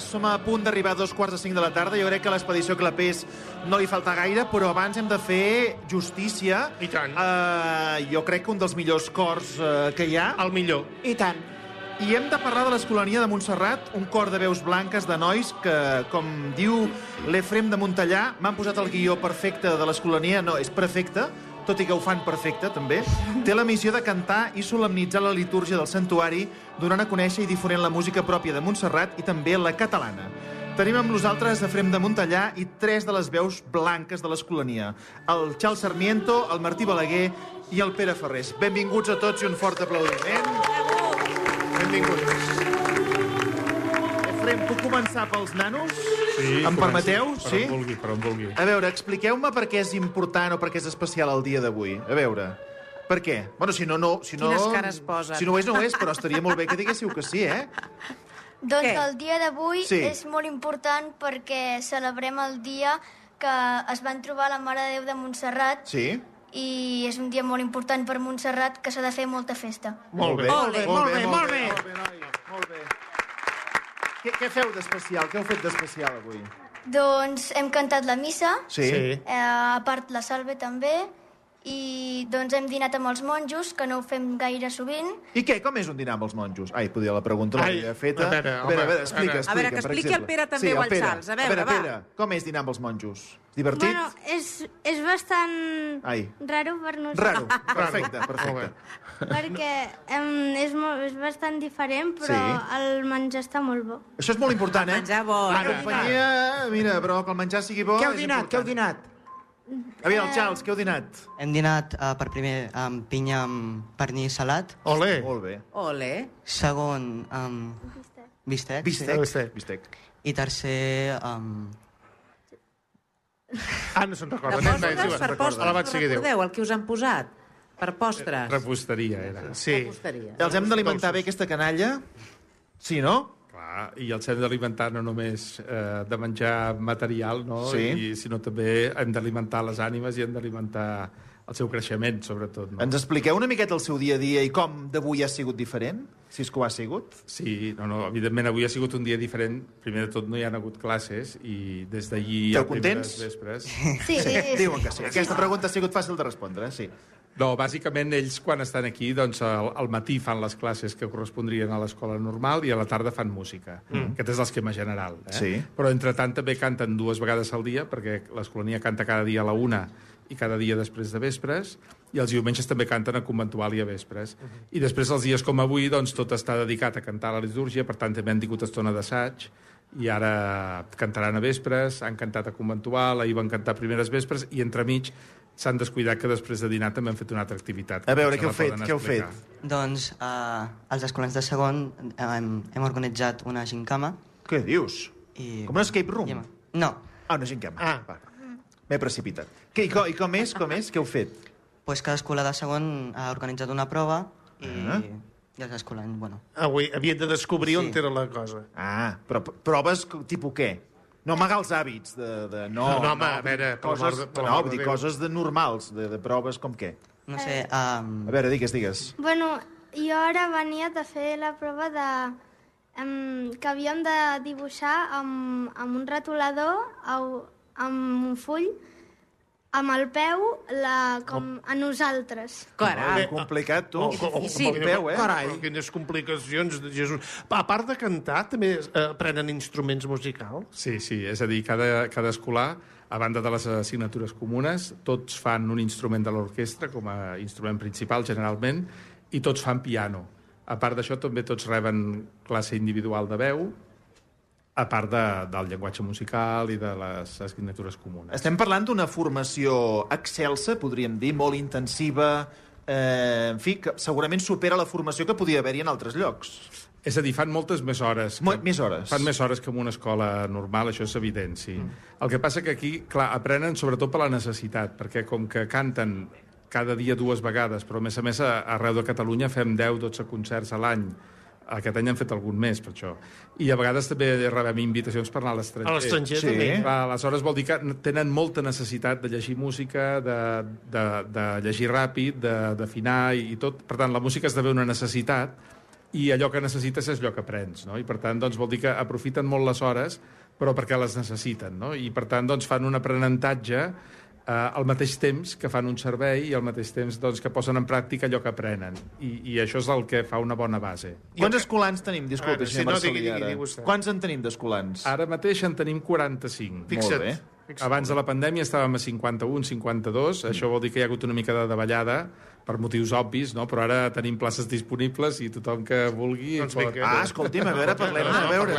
som a punt d'arribar a 4:45 de la tarda. Jo crec que a l'expedició Clapés no li falta gaire, però abans hem de fer justícia. I tant. Jo crec que un dels millors cors que hi ha. El millor. I tant. I hem de parlar de l'Escolania de Montserrat, un cor de veus blanques, de nois, que, com diu l'Efrem de Montellà, m'han posat el guió perfecte de l'Escolania, no, és perfecte, tot i que ho fan perfecte, també, té la missió de cantar i solemnitzar la litúrgia del santuari, donant a conèixer i difonent la música pròpia de Montserrat i també la catalana. Tenim amb nosaltres Efrem de Montellà i 3 de les veus blanques de l'Escolania, el Charles Sarmiento, el Martí Balaguer i el Pere Ferrés. Benvinguts a tots i un fort aplaudiment. Benvinguts. Efrem, puc començar pels nanos? Sí, em permeteu? Sí? Per on vulgui. A veure, expliqueu-me per què és important o per què és especial el dia d'avui. A veure, per què? Bueno, si no... Quines cares posen. Si no ho és, no ho és, però estaria molt bé que diguéssiu que sí, eh? Doncs Què? el dia d'avui Sí. és molt important perquè celebrem el dia que es van trobar la Mare de Déu de Montserrat Sí? i és un dia molt important per Montserrat que s'ha de fer molta festa. Molt bé. Ole, molt bé. noia, molt bé. Què feu d'especial? Què heu fet d'especial avui? Doncs hem cantat la missa, Sí. a part la salve també, i doncs hem dinat amb els monjos, que no ho fem gaire sovint. I què? Com és un dinar amb els monjos? Ai, podia la pregunta l'havia feta. a veure, explica, A veure, que per expliqui exemple. el Pere també o el Pere. Charles. A veure, va. Pere, com és dinar amb els monjos? Divertit? Bueno, és bastant Ai. raro per nosaltres. Raro. Perfecte, perfecte. Perquè és bastant diferent, però Sí. el menjar està molt bo. Això és molt important, eh? Menjar bo. La companyia, mira, però que el menjar sigui bo Què heu és dinat? Què heu important. dinat? A veure, el Charles, què heu dinat? Hem dinat per primer amb pinya amb pernil salat, Ole. Molt bé. Ole. segon amb bistec Bistec. i tercer amb... No se'n recorda. De postres, per postres, Alabat no sigui Déu. recordeu el que us han posat? Per postres. Reposteria, era. Sí. Reposteria. Els hem d'alimentar bé aquesta canalla? Sí, no? Clar, i els hem d'alimentar no només de menjar material, no? Sí. Sinó també hem d'alimentar les ànimes i hem d'alimentar el seu creixement, sobretot. No? Ens expliqueu una miqueta el seu dia a dia i com d'avui ha sigut diferent? Si és que ho ha sigut? Sí, evidentment avui ha sigut un dia diferent. Primer de tot no hi ha hagut classes i des d'ahir Esteu a primeres contents? vespres... Sí, Diuen que sí. Aquesta pregunta ha sigut fàcil de respondre, sí. No, bàsicament ells quan estan aquí doncs al matí fan les classes que correspondrien a l'escola normal i a la tarda fan música. Aquest és l'esquema general. Sí. Però entretant també canten 2 vegades al dia perquè l'Escolania canta cada dia a la 1 i cada dia després de vespres i els diumenges també canten a conventual i a vespres. I després els dies com avui doncs tot està dedicat a cantar la litúrgia, per tant també han tingut estona d'assaig i ara cantaran a vespres, han cantat a conventual, ahir van cantar primeres vespres i entremig s'han descuidat que després de dinar també han fet una altra activitat. A veure, Se què heu la fet? poden Què heu explicar. fet? Doncs els escolans de segon hem organitzat una gincama Què dius? i... Com un escape room? No, Una gincama. Va. M'he precipitat. I com és? Què heu fet? doncs cada escolar de segon ha organitzat una prova i Ah. i els escolans, bueno... Avui havien de descobrir on Sí. era la cosa. Però proves tipus què? No amagar els hàbits No, home, a veure, per coses, l'amor de vull dir, Déu. coses de normals, de proves com què? No sé, A veure, digues. Bueno, jo ara venia de fer la prova que havíem de dibuixar amb un retolador, amb un full, amb el peu, a nosaltres. Carai. Complicat, tu. difícil. Amb el peu, eh? Carai. Quines complicacions, Jesús. A part de cantar, també aprenen instruments musicals? Sí, és a dir, cada escolar, a banda de les assignatures comunes, tots fan un instrument de l'orquestra com a instrument principal, generalment, i tots fan piano. A part d'això, també tots reben classe individual de veu, a part del llenguatge musical i de les assignatures comunes. Estem parlant d'una formació excelsa, podríem dir, molt intensiva, en fi, que segurament supera la formació que podia haver-hi en altres llocs. És a dir, fan moltes més hores. Més hores. Fan més hores que en una escola normal, això és evident, sí. El que passa que aquí, clar, aprenen sobretot per la necessitat, perquè com que canten cada dia 2 vegades, però a més arreu de Catalunya fem 10-12 concerts a l'any. Aquest any han fet algun més, per això. I a vegades també rebem invitacions per anar a l'estranger. A l'estranger, Sí. també. Aleshores vol dir que tenen molta necessitat de llegir música, de llegir ràpid, d'afinar i tot. Per tant, la música esdevé una necessitat i allò que necessites és allò que aprens, no? I per tant, doncs, vol dir que aprofiten molt les hores, però perquè les necessiten, no? I per tant, doncs, fan un aprenentatge al mateix temps que fan un servei i al mateix temps doncs, que posen en pràctica allò que aprenen. I això és el que fa una bona base. Quants escolans tenim? Disculpi, senyor Marcelí, ara. digui vostè. Quants en tenim d'escolans? Ara mateix en tenim 45. Molt bé. Abans de la pandèmia estàvem a 51, 52. Això vol dir que hi ha hagut una mica de davallada per motius obvis, no? Però ara tenim places disponibles i tothom que vulgui... Doncs vinga. Escolti'm, a veure, parlem-ne. A veure,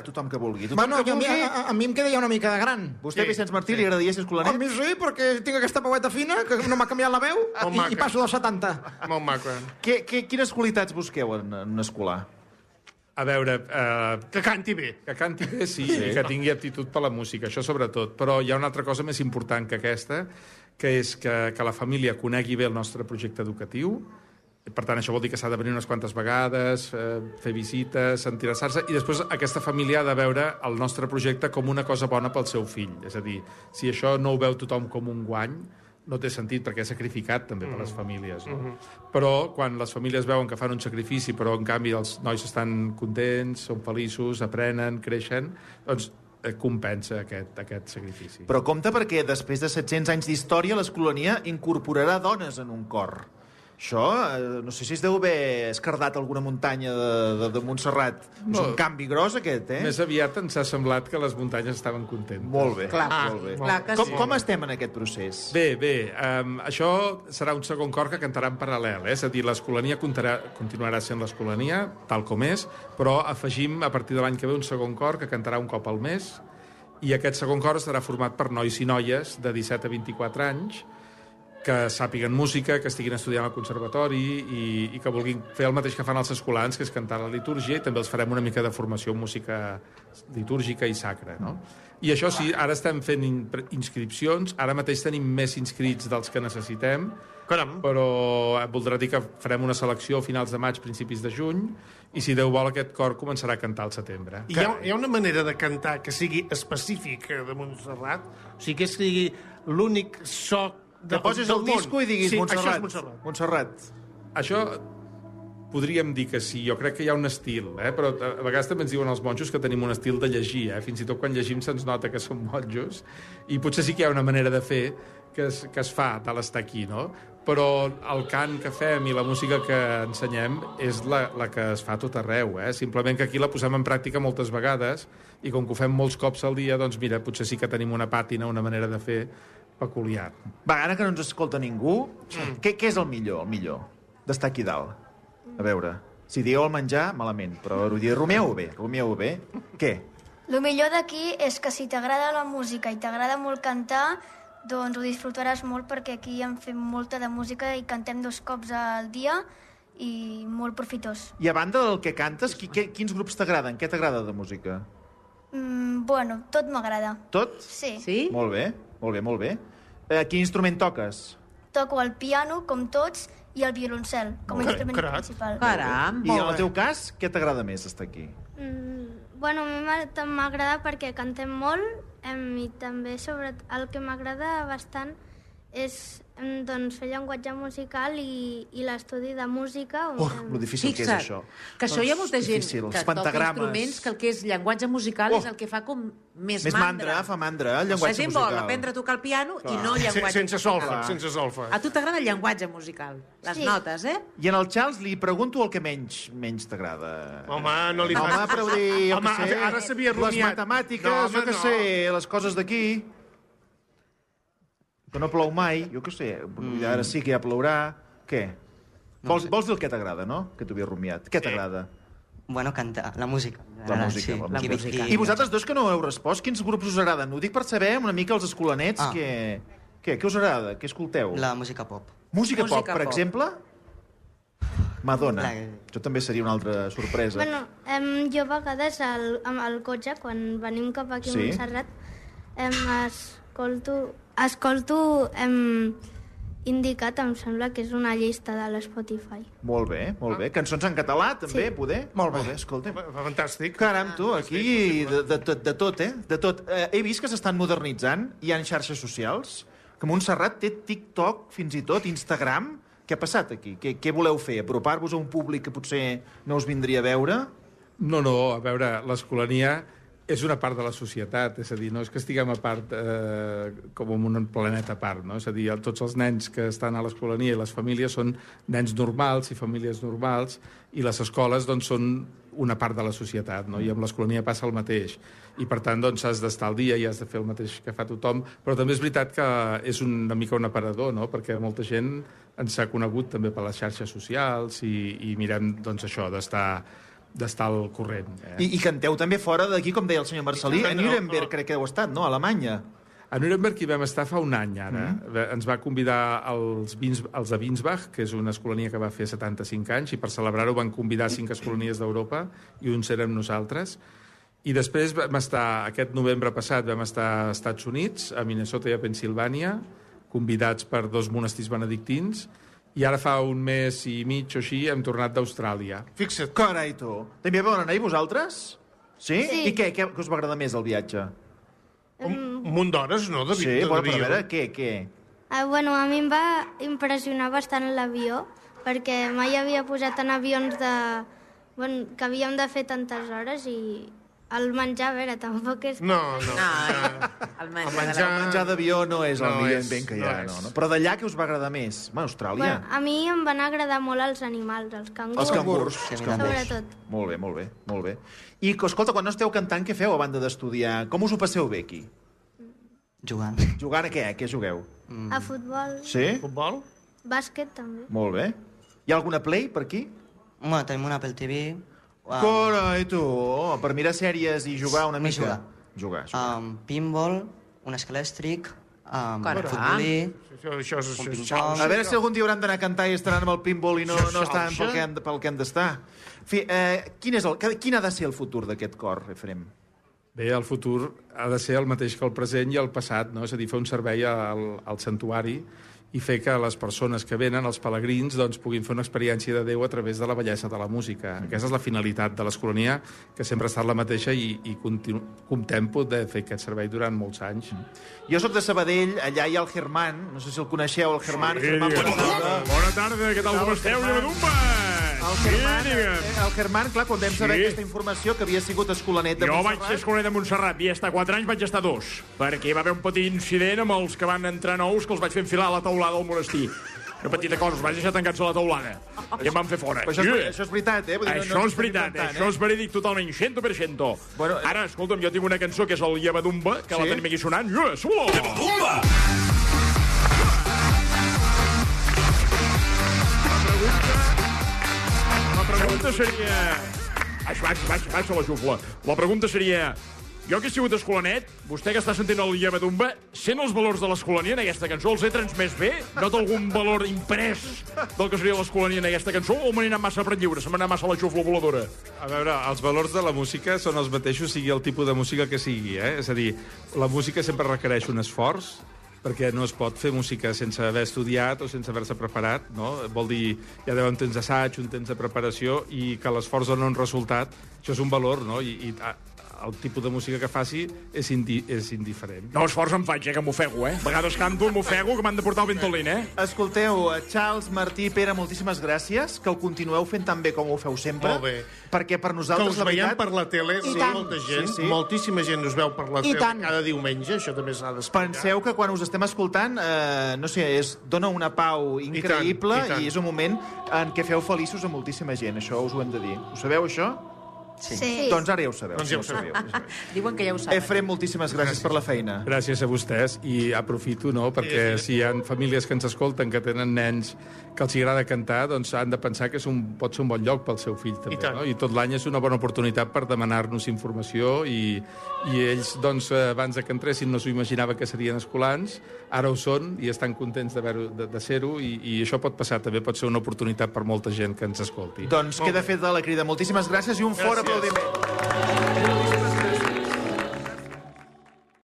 tothom que vulgui. Bueno, a mi em queda ja una mica de gran. Vostè, Vicenç Martí, li agradaria ser escolanet? A mi sí, perquè tinc aquesta veueta fina, que no m'ha canviat la veu, i passo dels 70. Molt maco. Quines qualitats busqueu en un escolar? A veure... Que canti bé. Que canti bé, sí, i que tingui aptitud per la música, això sobretot. Però hi ha una altra cosa més important que aquesta, que és que la família conegui bé el nostre projecte educatiu. Per tant, això vol dir que s'ha de venir unes quantes vegades, fer visites, interessar-se, i després aquesta família ha de veure el nostre projecte com una cosa bona pel seu fill. És a dir, si això no ho veu tothom com un guany, no té sentit, perquè és sacrificat també per les famílies. No? Però quan les famílies veuen que fan un sacrifici, però en canvi els nois estan contents, són feliços, aprenen, creixen, doncs compensa aquest sacrifici. Però compte perquè després de 700 anys d'història l'Escolania incorporarà dones en un cor. Això, no sé si es deu haver escardat alguna muntanya de Montserrat. És un canvi gros, aquest, eh? Més aviat ens ha semblat que les muntanyes estaven contentes. Molt bé. Clar, molt bé. clar que sí. Com estem en aquest procés? Bé, això serà un segon cor que cantarà en paral·lel, és a dir, l'Escolania continuarà sent l'Escolania, tal com és, però afegim a partir de l'any que ve un segon cor que cantarà un cop al mes, i aquest segon cor estarà format per nois i noies de 17 a 24 anys, que sàpiguen música, que estiguin estudiant al conservatori i que vulguin fer el mateix que fan els escolans, que és cantar la litúrgia, i també els farem una mica de formació en música litúrgica i sacra, no? I això sí, ara estem fent inscripcions, ara mateix tenim més inscrits dels que necessitem, Caram. però voldrà dir que farem una selecció a finals de maig, principis de juny, i si Déu vol aquest cor començarà a cantar al setembre. Hi ha una manera de cantar que sigui específica de Montserrat? O sigui, que sigui l'únic so Que posis el disco i diguis Montserrat. Això és Montserrat. Montserrat. Això podríem dir que sí, jo crec que hi ha un estil, però a vegades també ens diuen els monjos que tenim un estil de llegir, fins i tot quan llegim se'ns nota que som monjos, i potser sí que hi ha una manera de fer que es fa tal estar aquí, no? Però el cant que fem i la música que ensenyem és la que es fa a tot arreu, simplement que aquí la posem en pràctica moltes vegades, i com que ho fem molts cops al dia, doncs mira, potser sí que tenim una pàtina, una manera de fer peculiar. Va, ara que no ens escolta ningú, què és el millor d'estar aquí dalt? A veure, si dieu el menjar, malament, però rumieu-ho bé. Què? El millor d'aquí és que si t'agrada la música i t'agrada molt cantar, doncs ho disfrutaràs molt, perquè aquí en fem molta de música i cantem 2 cops al dia i molt profitós. I a banda del que cantes, quins grups t'agraden? Què t'agrada de música? Bueno, tot m'agrada. Tot? Sí. Sí? Molt bé. Quin instrument toques? Toco el piano, com tots, i el violoncel, com a instrument principal. Caram, I en el teu cas, què t'agrada més estar aquí? Bueno, a mi m'agrada perquè cantem molt, i també el que m'agrada bastant és doncs, fer llenguatge musical i l'estudi de música. Lo difícil que és això. Que això hi ha molta gent difícil, que toca instruments, que el que és llenguatge musical és el que fa com més mandra. Fa mandra, el llenguatge La gent musical. vol aprendre a tocar el piano i no llenguatge Sense solfa. A tu t'agrada el llenguatge musical, les notes, I en el Charles li pregunto el que menys t'agrada. Home, no li Home, però dir, jo què sé, ara s'havia les rumiat. matemàtiques, jo què sé, les coses d'aquí, que no plou mai, jo què sé, ara sí que ja plourà. Què? Vols dir el que t'agrada, no? Que t'ho havia rumiat. Què t'agrada? Bueno, cantar, la música. La música. Sí. I vosaltres dos que no heu respost, quins grups us agraden? Ho dic per saber una mica els escolanets, què us agrada? Què escolteu? La música pop. Música pop, per exemple? Madonna. Això també seria una altra sorpresa. Bueno, jo a vegades amb el cotxe, quan venim cap aquí a Montserrat, escolto indicat, em sembla que és una llista de l'Spotify. Molt bé. Cançons en català, també, poder? Molt bé. Escolta. Fantàstic. Caram, tu, aquí de tot, De tot. He vist que s'estan modernitzant, hi ha xarxes socials, que Montserrat té TikTok, fins i tot Instagram. Què ha passat aquí? Què voleu fer? Apropar-vos a un públic que potser no us vindria a veure? No, a veure, l'Escolania és una part de la societat, és a dir, no és que estiguem a part com en un planeta a part, no? És a dir, tots els nens que estan a l'Escolania i les famílies són nens normals i famílies normals, i les escoles doncs, són una part de la societat, no? I amb l'Escolania passa el mateix. I, per tant, doncs, has d'estar al dia i has de fer el mateix que fa tothom, però també és veritat que és una mica un aparador, no? Perquè molta gent ens ha conegut també per les xarxes socials i mirem, doncs, això, d'estar al corrent. I canteu també fora d'aquí, com deia el senyor Marcelí, a Nuremberg, crec que heu estat, no? A Alemanya. A Nuremberg hi vam estar fa un any, ara. Ens va convidar els de Winsbach, que és una escolania que va fer 75 anys, i per celebrar-ho van convidar 5 escolanies d'Europa, i uns érem nosaltres. I després aquest novembre passat, vam estar als Estats Units, a Minnesota i a Pensilvània, convidats per 2 monestirs benedictins, i ara fa un mes i mig o així hem tornat d'Austràlia. Fixa't. Carai, tu. També vau anar-hi vosaltres? Sí? I què us va agradar més, el viatge? Un munt d'hores, no? Sí, però a veure, què? Bueno, a mi em va impressionar bastant l'avió, perquè mai havia posat en avions que havíem de fer tantes hores i el menjar, a veure, tampoc és... No. El menjar d'avió no és el millor invent que hi ha, no? Però d'allà què us va agradar més? Austràlia? A mi em van agradar molt els animals, els cangurs. Els cangurs. Sobretot. Molt bé. I, escolta, quan no esteu cantant, què feu a banda d'estudiar? Com us ho passeu bé, aquí? Jugant. Jugant a què? A què jugueu? A futbol. Sí? Futbol? Bàsquet, també. Molt bé. Hi ha alguna play per aquí? Bueno, tenim una Apple TV. Carai, tu! Per mirar sèries i jugar una mica. Jugar. Pinball, un escalèstric, futbolí, un ping-pong... A veure si algun dia hauran d'anar a cantar i estaran amb el pinball i no estan pel que han d'estar. En fi, quin ha de ser el futur d'aquest cor, Efrem? Bé, el futur ha de ser el mateix que el present i el passat, no? És a dir, fer un servei al santuari i fer que les persones que venen, els pelegrins, doncs, puguin fer una experiència de Déu a través de la bellesa de la música. Aquesta és la finalitat de l'Escolania, que sempre ha estat la mateixa i comptem de fer aquest servei durant molts anys. Jo sóc de Sabadell, allà hi ha el Germán, no sé si el coneixeu, el Germán. Bona tarda, què tal, com esteu, Llevadumba? El Germán, clar, quan vam saber aquesta informació, que havia sigut escolanet de Montserrat... Jo vaig ser escolanet de Montserrat, havia estat 4 anys, vaig estar 2, perquè hi va haver un petit incident amb els que van entrar nous, que els vaig fer enfilar a la teulada del monestir. Una petita cosa, els vaig deixar tancats a la teulada. I em van fer fora. Això és veritat, eh? Això és veritat, això és verídic totalment, 100%. Ara, escolta'm, jo tinc una cançó que és el Llevadumba, que la tenim aquí sonant. Llevadumba! La pregunta seria... Baixa la xufla. La pregunta seria... Jo que he sigut escolanet, vostè que està sentint el Llevadumba, sent els valors de l'Escolania en aquesta cançó, els he transmès bé? Nota algun valor imprès del que seria l'Escolania en aquesta cançó o m'he anat massa per lliure, se m'ha anat massa la xufla voladora? A veure, els valors de la música són els mateixos, sigui el tipus de música que sigui, eh? És a dir, la música sempre requereix un esforç, perquè no es pot fer música sense haver estudiat o sense haver-se preparat, no? Vol dir, hi ha d'haver un temps d'assaig, un temps de preparació, i que l'esforç dona un resultat, això és un valor, no? I el tipus de música que faci és indiferent. No esforç em faig, que m'ofego, A vegades canto, m'ofego, que m'han de portar el Ventolin, Escolteu, Charles, Martí, Pere, moltíssimes gràcies, que ho continueu fent tan bé com ho feu sempre. Molt bé. Perquè per nosaltres, la veritat... Que us veiem per la tele, molta gent, moltíssima gent us veu per la tele cada diumenge, això també s'ha d'explicar. Penseu que quan us estem escoltant, no sé, dona una pau increïble i és un moment en què feu feliços a moltíssima gent, això us ho hem de dir. Ho sabeu, això? Sí. Doncs ara ja ho sabeu. Diuen que ja ho saben. Efrem, moltíssimes gràcies per la feina. Gràcies a vostès, i aprofito, no?, perquè si hi ha famílies que ens escolten que tenen nens que els agrada cantar, doncs han de pensar que pot ser un bon lloc pel seu fill, també, no? I tot l'any és una bona oportunitat per demanar-nos informació i ells, doncs, abans que entressin no s'ho imaginava que serien escolans, ara ho són i estan contents de ser-ho i això pot passar, també pot ser una oportunitat per molta gent que ens escolti. Doncs queda fet de la crida. Moltíssimes gràcies i un fort aplaudiment.